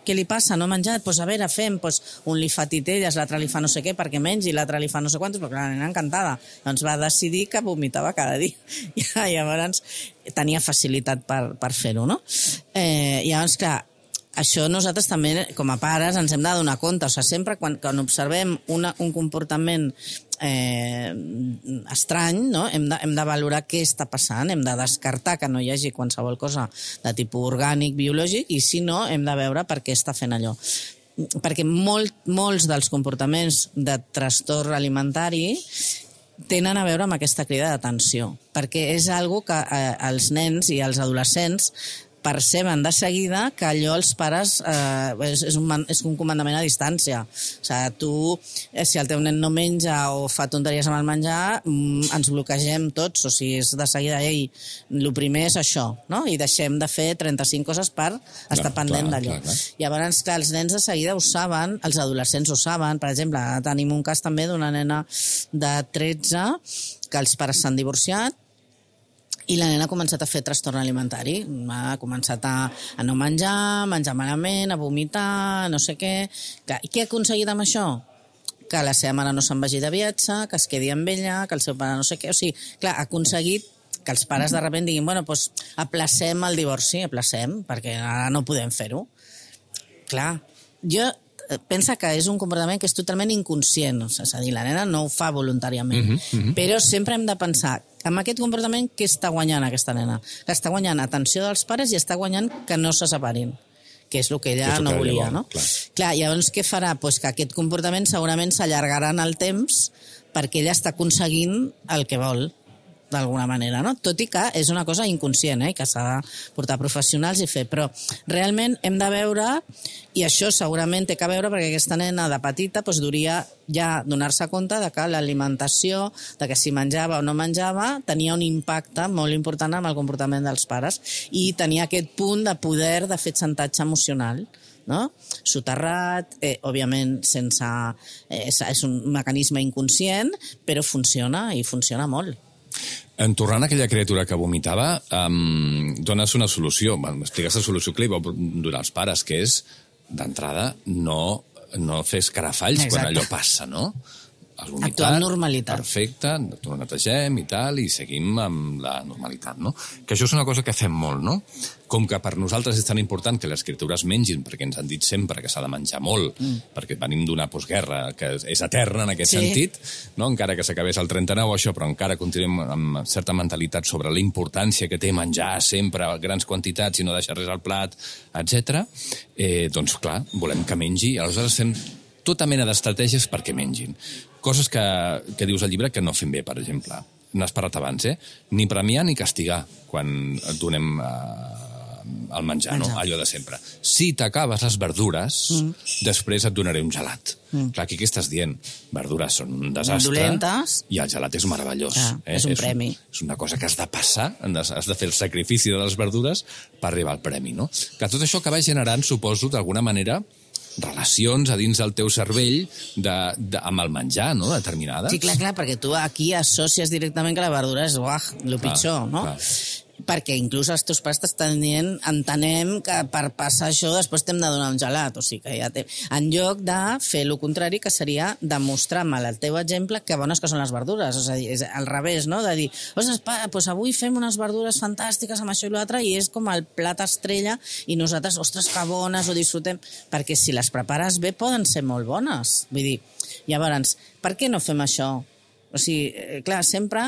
què li passa? No ha menjat? Doncs a veure, fem, un li fa titelles, l'altre li fa no sé què perquè mengi, l'altre li fa no sé quantos, perquè la nena encantada. Doncs va decidir que vomitava cada dia. I llavors tenia facilitat per fer-ho, no? Llavors, clar, això nosaltres també, com a pares, ens hem de donar compte. O sigui, sempre quan observem un comportament estrany, no? Hem de valorar què està passant, hem de descartar que no hi hagi qualsevol cosa de tipus orgànic, biològic, i si no, hem de veure per què està fent allò. Perquè molts dels comportaments de trastorn alimentari tenen a veure amb aquesta crida d'atenció, perquè és algo que els nens i els adolescents perceben de seguida que allò els pares és un comandament a distància. O sigui, tu, si el teu nen no menja o fa tonteries amb el menjar, ens bloquegem tots. O sigui, és de seguida, el primer és això, no? I deixem de fer 35 coses per estar pendent d'allò. Llavors, clar, els nens de seguida ho saben, els adolescents ho saben. Per exemple, tenim un cas també d'una nena de 13 que els pares s'han divorciat i la nena ha començat a fer trastorn alimentari. Ha començat a no menjar malament, a vomitar, no sé què. I què ha aconseguit amb això? Que la seva mare no se'n vagi de viatge, que es quedi amb ella, que el seu pare no sé què. O sigui, clar, ha aconseguit que els pares de sobte diguin, bueno, doncs aplacem el divorci, perquè ara no podem fer-ho. Clar, jo pensa que és un comportament que és totalment inconscient, és a dir, la nena no ho fa voluntàriament, però sempre hem de pensar amb aquest comportament què està guanyant aquesta nena. Que està guanyant atenció dels pares i està guanyant que no se separin, que és el que ella no volia, no? Clar, llavors què farà? Pues que aquest comportament segurament s'allargarà en el temps perquè ella està aconseguint el que vol, d'alguna manera, no? Tot i que és una cosa inconscient, que s'ha de portar professionals i fer, però realment hem de veure, i això segurament té que veure perquè aquesta nena de petita duria ja donar-se compte de que l'alimentació, de que si menjava o no menjava, tenia un impacte molt important amb el comportament dels pares i tenia aquest punt de poder de fer xantatge emocional, no? Soterrat, òbviament sense... és un mecanisme inconscient, però funciona i funciona molt. En tornant a aquella criatura que vomitava, dones una solució. M'expliques la solució que li vau donar als pares, que és, d'entrada, no fer escarafalls quan allò passa, no? Actuar amb normalitat. Perfecte, ho netegem i tal, i seguim amb la normalitat, no? Que això és una cosa que fem molt, no? Com que per nosaltres és tan important que les criatures mengin, perquè ens han dit sempre que s'ha de menjar molt, perquè venim d'una postguerra que és eterna en aquest sentit, no? Encara que s'acabés el 39 això, però encara continuem amb certa mentalitat sobre la importància que té menjar sempre grans quantitats i no deixar res al plat, etc. Doncs clar, volem que mengi, aleshores fem tota mena d'estratègies perquè mengin. Coses que dius al llibre que no fem bé, per exemple. N'has parlat abans, ni premiar ni castigar quan et donem el menjar, no? Allò de sempre. Si t'acabes les verdures, després et donaré un gelat. Clar, aquí què estàs dient? Verdures són un desastre. Dolentes. I el gelat és meravellós. És un premi. És una cosa que has de passar, has de fer el sacrifici de les verdures per arribar al premi, no? Que tot això acaba generant, suposo, d'alguna manera, relacions a dins del teu cervell amb el menjar, no?, determinades. Sí, clar, perquè tu aquí associes directament que la verdura és el pitjor, no? perquè inclús els teus pares t'estan dient, entenem que per passar això després t'hem de donar un gelat, o sigui que ja en lloc de fer el contrari, que seria demostrar amb el teu exemple que bones que són les verdures, és a dir, és al revés, no? De dir, ostres, pare, doncs avui fem unes verdures fantàstiques amb això i l'altre, i és com el plat estrella, i nosaltres, ostres, que bones, ho disfrutem, perquè si les prepares bé poden ser molt bones. Vull dir, llavors, per què no fem això? O sigui, clar, sempre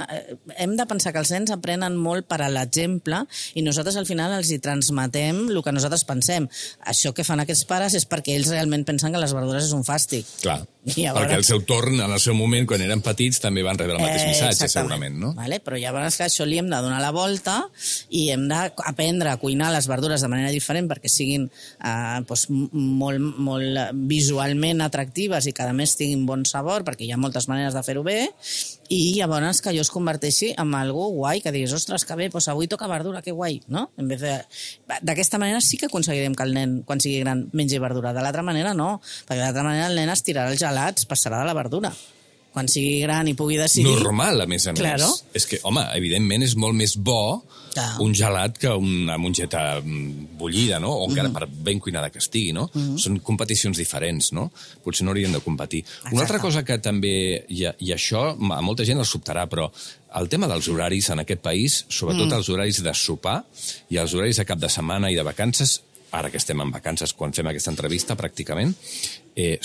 hem de pensar que els nens aprenen molt per a l'exemple i nosaltres al final els hi transmetem el que nosaltres pensem. Això que fan aquests pares és perquè ells realment pensen que les verdures és un fàstic. Clar, perquè al seu torn, en el seu moment, quan eren petits, també van rebre el mateix missatge, segurament, no? Vale, però llavors que això li hem de donar la volta i hem d'aprendre a cuinar les verdures de manera diferent perquè siguin molt visualment atractives i que a més tinguin bon sabor, perquè hi ha moltes maneres de fer-ho bé, i llavors que allò es converteixi en algo guai, que diguis, ostres, que bé, doncs avui toca verdura, que guai, no? D'aquesta manera sí que aconseguirem que el nen, quan sigui gran, mengi verdura. De l'altra manera no, perquè de l'altra manera el nen es tirarà els gelats, passarà de la verdura. Quan sigui gran i pugui decidir... Normal, a més a més. Claro. És que, home, evidentment és molt més bo un gelat que una mongeta bullida, no? O encara per ben cuinada que estigui, no? Són competicions diferents, no? Potser no haurien de competir. Una altra cosa que també... I això a molta gent els sobtarà, però el tema dels horaris en aquest país, sobretot els horaris de sopar i els horaris de cap de setmana i de vacances, ara que estem en vacances quan fem aquesta entrevista pràcticament,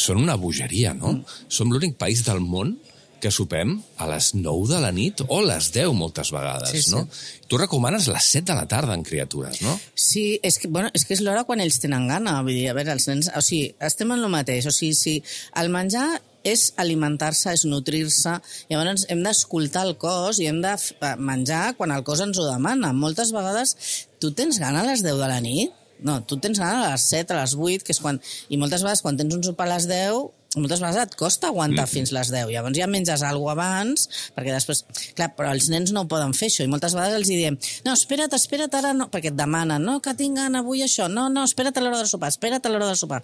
són una bogeria, no? Som l'únic país del món que sopem a les 9 de la nit o a les 10 moltes vegades, no? Tu recomanes les 7 de la tarda en criatures, no? Sí, és que és l'hora quan ells tenen gana. Vull dir, a veure, els nens... O sigui, estem en el mateix. O sigui, si el menjar és alimentar-se, és nutrir-se, llavors hem d'escoltar el cos i hem de menjar quan el cos ens ho demana. Moltes vegades tu tens gana a les 10 de la nit? No, tu tens gana a les 7, a les 8, que és quan... I moltes vegades quan tens un sopar a les 10... moltes vegades et costa aguantar fins les 10. Llavors ja menges alguna cosa abans, perquè després... Clar, però els nens no ho poden fer, això, i moltes vegades els diem, no, espera't, ara no, perquè et demanen, no, que tinc gana avui això, no, espera't a l'hora de sopar,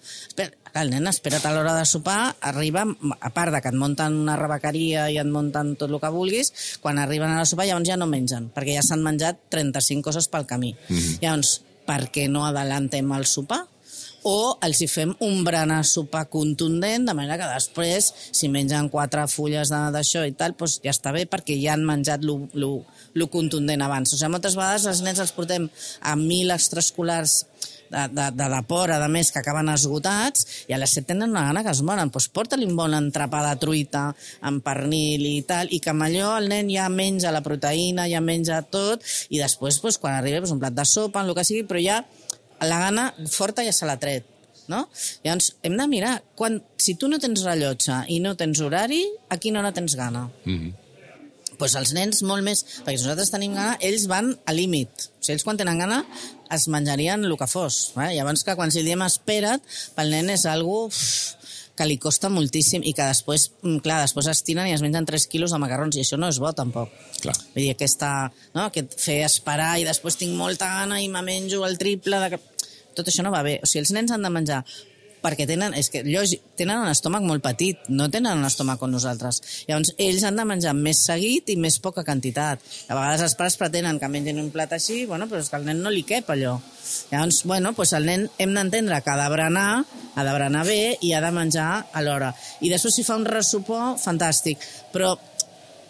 el nen, espera't a l'hora de sopar, arriba, a part de que et munten una rebequeria i et munten tot el que vulguis, quan arriben a la sopar llavors ja no mengen, perquè ja s'han menjat 35 coses pel camí. Llavors, per què no adelantem el sopar? O els hi fem un berenar sopar contundent, de manera que després, si mengen 4 fulles d'això i tal, doncs ja està bé, perquè ja han menjat lo contundent abans. O sigui, moltes vegades els nens els portem a 1.000 extraescolars de deport, a més, que acaben esgotats, i a les 7 tenen una gana que es moren. Doncs porta-li un bon entrepà de truita amb pernil i tal, i que amb allò el nen ja menja la proteïna, ja menja tot, i després, quan arriba, un plat de sopa, en el que sigui, però ja la gana forta ja se l'ha tret, no? Llavors, hem de mirar, si tu no tens rellotge i no tens horari, a quina hora tens gana? Doncs els nens molt més, perquè si nosaltres tenim gana, ells van a límit. O sigui, ells quan tenen gana es menjarien el que fos. Llavors que quan si diem espera't, pel nen és algo que li costa moltíssim i que després, clar, després es tiren i es mengen 3 quilos de macarrons, i això no és bo tampoc. Clar. Vull dir, aquest fer esperar i després tinc molta gana i me menjo el triple de... Tot això no va bé. O sigui, els nens han de menjar perquè tenen un estómac molt petit, no tenen un estómac com nosaltres. Llavors, ells han de menjar més seguit i més poca quantitat. A vegades els pares pretenen que mengin un plat així, però és que al nen no li cap allò. Llavors, el nen hem d'entendre que ha de berenar bé i ha de menjar a l'hora. I després si fa un ressopor, fantàstic. Però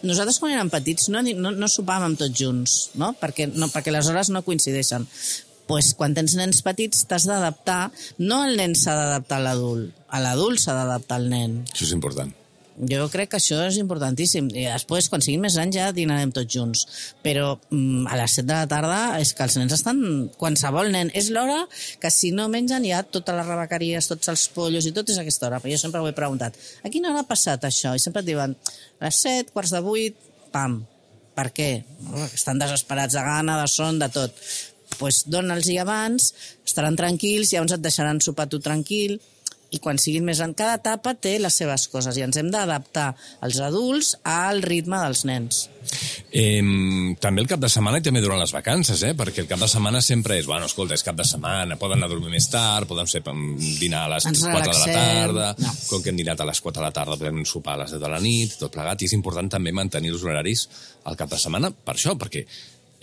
nosaltres quan érem petits no sopàvem tots junts, no? Perquè les hores no coincideixen. Doncs quan tens nens petits t'has d'adaptar, no el nen s'ha d'adaptar a l'adult s'ha d'adaptar al nen. Això és important. Jo crec que això és importantíssim. I després, quan siguin més grans, ja dinarem tots junts. Però a les 7 de la tarda és que els nens estan... Qualsevol nen. És l'hora que si no mengen ja totes les rebequeries, tots els pollos i tot és aquesta hora. Però jo sempre ho he preguntat. A quina hora ha passat això? I sempre et diuen a les 7, 7:45, pam. Per què? Estan desesperats de gana, de son, de tot. Doncs dona'ls-hi abans, estaran tranquils, llavors et deixaran sopar tu tranquil, i quan siguin més grans, cada etapa té les seves coses, i ens hem d'adaptar els adults al ritme dels nens. També el cap de setmana i també durant les vacances, perquè el cap de setmana sempre és, escolta, és cap de setmana, poden anar a dormir més tard, podem dinar a les 4 de la tarda, com que hem dinat a les 4 de la tarda podem sopar a les 10 de la nit, tot plegat, i és important també mantenir els horaris al cap de setmana per això, perquè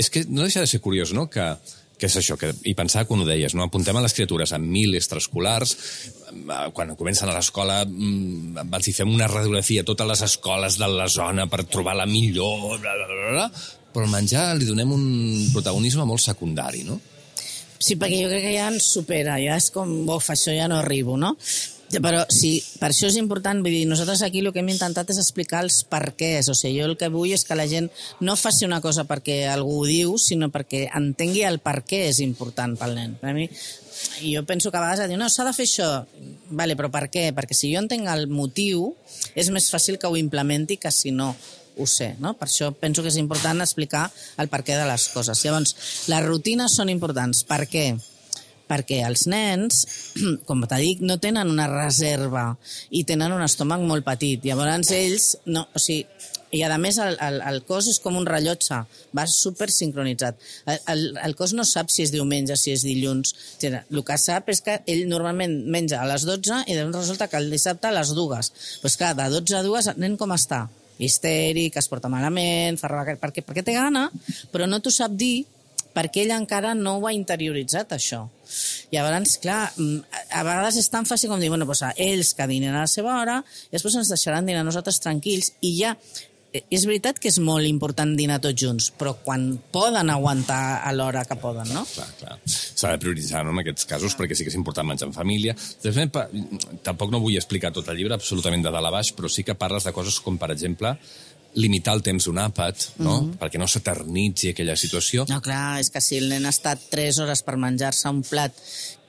És que no deixa de ser curiós, no?, que és això, i pensava quan ho deies, no? Apuntem a les criatures amb 1000 extraescolars, quan comencen a l'escola els hi fem una radiografia a totes les escoles de la zona per trobar la millor, bla, bla, bla, bla, però al menjar li donem un protagonisme molt secundari, no? Sí, perquè jo crec que ja ens supera, ja és com, això ja no arribo, no? Però sí, per això és important, vull dir, nosaltres aquí el que hem intentat és explicar els perquès, o sigui, jo el que vull és que la gent no faci una cosa perquè algú ho diu, sinó perquè entengui el per què és important pel nen. Per a mi, jo penso que a vegades diu, no, s'ha de fer això, vale, però per què? Perquè si jo entenc el motiu, és més fàcil que ho implementi que si no ho sé, no? Per això penso que és important explicar el per què de les coses. Llavors, les rutines són importants. Per què? Perquè els nens, com t'he dit, no tenen una reserva i tenen un estómac molt petit. Llavors ells, no, o sigui, i a més el cos és com un rellotge, va super sincronitzat. El cos no sap si és diumenge, si és dilluns. El que sap és que ell normalment menja a les 12 i resulta que el dissabte a les 2. Pues clar, de 12 a 2 el nen com està? Histèric, es porta malament, perquè té gana, però no t'ho sap dir perquè ell encara no ho ha interioritzat, això. Llavors, clar, a vegades és tan fàcil com dir, bueno, doncs ells que dinen a la seva hora i després ens deixaran dinar nosaltres tranquils i ja, és veritat que és molt important dinar tots junts, però quan poden aguantar a l'hora que poden, no? Clar. S'ha de prioritzar, no?, en aquests casos, perquè sí que és important menjar en família. Tampoc no vull explicar tot el llibre absolutament de dalt a baix, però sí que parles de coses com, per exemple, limitar el temps d'un àpat, no? Perquè no s'eternitzi aquella situació. No, clar, és que si el nen ha estat 3 hores per menjar-se un plat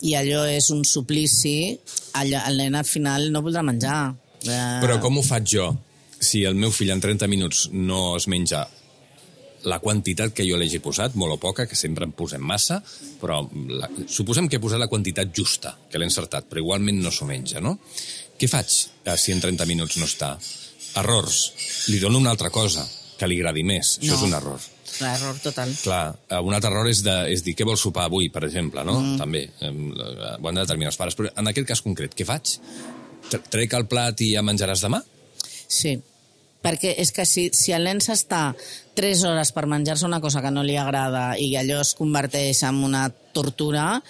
i allò és un suplici, el nen al final no voldrà menjar. Però com ho faig jo? Si el meu fill en 30 minuts no es menja la quantitat que jo li hagi posat, molt o poca, que sempre en posem massa, però suposem que he posat la quantitat justa, que l'he encertat, però igualment no s'ho menja, no? Què faig si en 30 minuts no està? Errors. Li dono una altra cosa que li agradi més. Això és un error. L'error total. Clar, un altre error és dir què vols sopar avui, per exemple, no? També. Ho han de determinar els pares. Però en aquest cas concret, què faig? Trec el plat i ja menjaràs demà? Sí, perquè és que si el nen s'està 3 hores per menjar-se una cosa que no li agrada i allò es converteix en una tortura,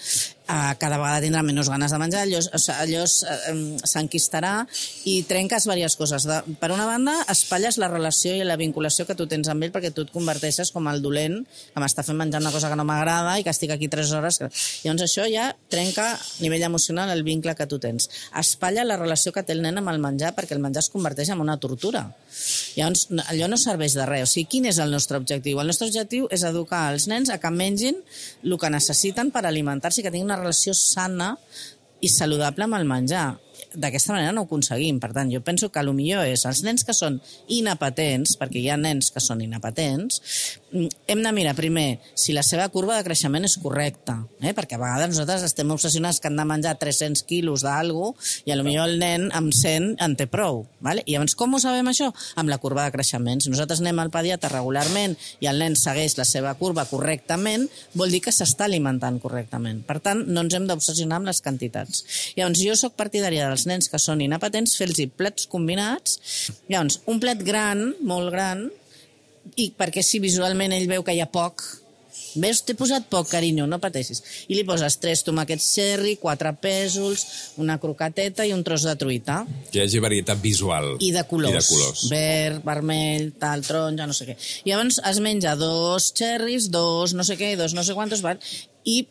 cada vegada tindrà menys ganes de menjar, allò s'enquistarà i trenques diverses coses. Per una banda, espatlles la relació i la vinculació que tu tens amb ell perquè tu et converteixes com el dolent que m'està fent menjar una cosa que no m'agrada i que estic aquí 3 hores. Llavors això ja trenca a nivell emocional el vincle que tu tens. Espatlla la relació que té el nen amb el menjar perquè el menjar es converteix en una tortura. Llavors allò no serveix de res. O sigui, quin és el nostre objectiu? El nostre objectiu és educar els nens a que mengin el que necessiten per alimentar-se i que tinguin una relació sana i saludable amb el menjar. D'aquesta manera no ho aconseguim. Per tant, jo penso que el millor és els nens que són inapetents, perquè hi ha nens que són inapetents, hem de mirar primer si la seva curva de creixement és correcta, perquè a vegades nosaltres estem obsessionats que han de menjar 300 quilos d'algú i potser el nen amb 100 en té prou. Vale? I llavors com ho sabem això? Amb la curva de creixement. Si nosaltres anem al pediatre regularment i el nen segueix la seva curva correctament, vol dir que s'està alimentant correctament. Per tant, no ens hem d'obsessionar amb les quantitats. Llavors, jo sóc partidària dels nens que són inapetents, fer-los plats combinats. Llavors, un plat gran, molt gran, i perquè si visualment ell veu que hi ha poc, veus, t'he posat poc, carinyo, no pateixis. I li poses 3 tomàquets cherry, 4 pèsols, una croqueteta i un tros de truita. Que hi hagi varietat visual. I de colors. Verd, vermell, tal, taronja, no sé què. I llavors es menja 2 cherries, 2 no sé què, 2 no sé quantos, i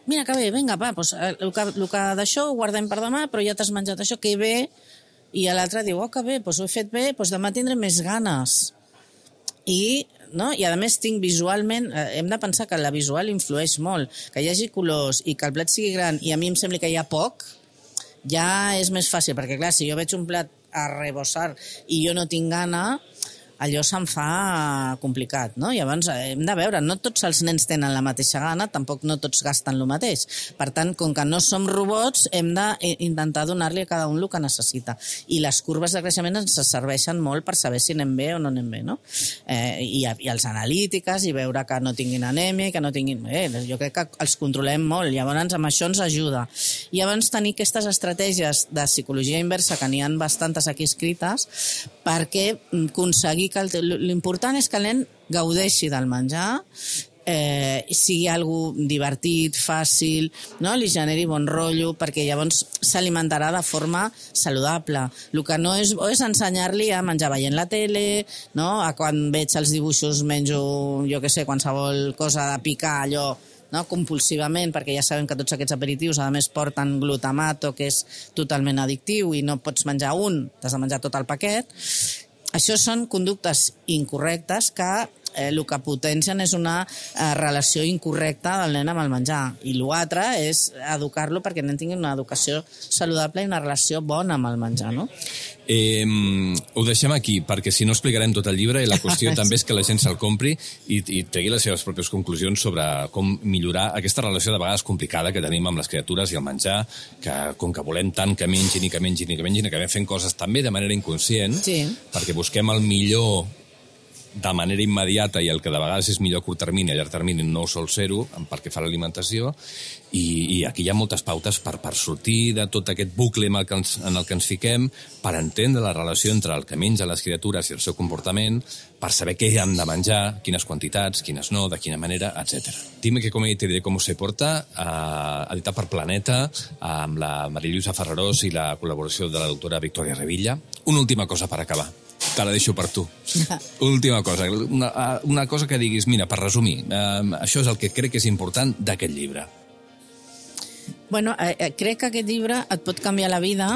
mira que bé, vinga, va, doncs, el que d'això ho guardem per demà, però ja t'has menjat això, que bé. I l'altre diu, que bé, doncs ho he fet bé, doncs demà tindré més ganes. I a més tinc visualment, hem de pensar que la visual influeix molt, que hi hagi colors i que el plat sigui gran i a mi em sembla que hi ha poc, ja és més fàcil, perquè clar, si jo veig un plat a rebossar i jo no tinc gana, allò se'm fa complicat, no? Llavors hem de veure, no tots els nens tenen la mateixa gana, tampoc no tots gasten el mateix. Per tant, com que no som robots, hem d'intentar donar-li a cada un el que necessita. I les curves de creixement ens serveixen molt per saber si anem bé o no anem bé, no? I els analítiques, i veure que no tinguin anèmia, que no tinguin... jo crec que els controlem molt, llavors amb això ens ajuda. I llavors tenir aquestes estratègies de psicologia inversa, que n'hi ha bastantes aquí escrites, perquè aconseguir que l'important és que el nen gaudeixi del menjar, sigui algo divertit, fàcil, no? Li generi bon rotllo, perquè llavors s'alimentarà de forma saludable. El que no és bo és ensenyar-li a menjar veient la tele, no? A quan veig els dibuixos menjo, jo què sé, qualsevol cosa de picar, allò, no? Compulsivament, perquè ja sabem que tots aquests aperitius a més porten glutamato, que és totalment addictiu i no pots menjar un, t'has de menjar tot el paquet. Això són conductes incorrectes que el que potencien és una relació incorrecta del nen amb el menjar. I l'altre és educar-lo perquè el nen tingui una educació saludable i una relació bona amb el menjar, no? Ho deixem aquí, perquè si no explicarem tot el llibre i la qüestió també és que la gent se'l compri i tregui les seves pròpies conclusions sobre com millorar aquesta relació de vegades complicada que tenim amb les criatures i el menjar, que com que volem tant que mengin i que mengin i que mengin, acabem fent coses també de manera inconscient, sí, perquè busquem el millor de manera immediata i el que de vegades és millor a curt termini, a llarg termini no ho sol ser-ho, perquè fa l'alimentació, i aquí hi ha moltes pautes per sortir de tot aquest bucle en el que ens fiquem, per entendre la relació entre el que mengen les criatures i el seu comportament, per saber què han de menjar, quines quantitats, quines no, de quina manera, etc. Dime que come y te diré cómo se porta, editat per Planeta, amb la Marillusa Ferrarós i la col·laboració de la doctora Victòria Revilla. Una última cosa per acabar. Te la deixo per tu. Última cosa. Una cosa que diguis, mira, per resumir, això és el que crec que és important d'aquest llibre. Bueno, crec que aquest llibre et pot canviar la vida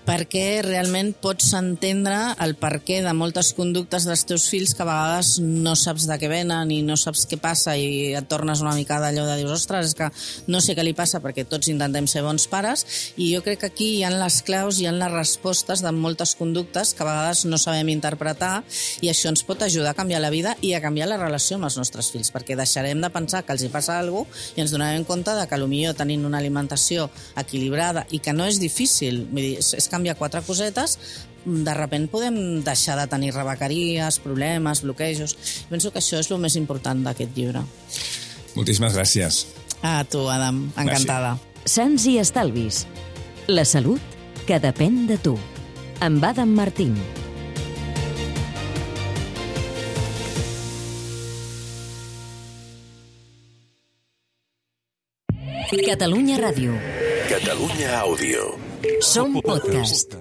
perquè realment pots entendre el perquè de moltes conductes dels teus fills que a vegades no saps de què venen i no saps què passa i et tornes una mica d'allò de dius, ostres, és que no sé què li passa perquè tots intentem ser bons pares, i jo crec que aquí hi ha les claus, hi ha les respostes de moltes conductes que a vegades no sabem interpretar, i això ens pot ajudar a canviar la vida i a canviar la relació amb els nostres fills, perquè deixarem de pensar que els hi passa alguna cosa i ens donarem compte de que potser tenint una alimentació equilibrada i que no és difícil, vull dir, és canviar 4 cosetes, de repent podem deixar de tenir rebequeries, problemes, bloquejos. Penso que això és el més important d'aquest llibre. Moltíssimes gràcies. A tu, Adam. Encantada. Sants i estalvis. La salut que depèn de tu. Amb Adam Martín. Catalunya Ràdio. Catalunya Àudio. Som podcast.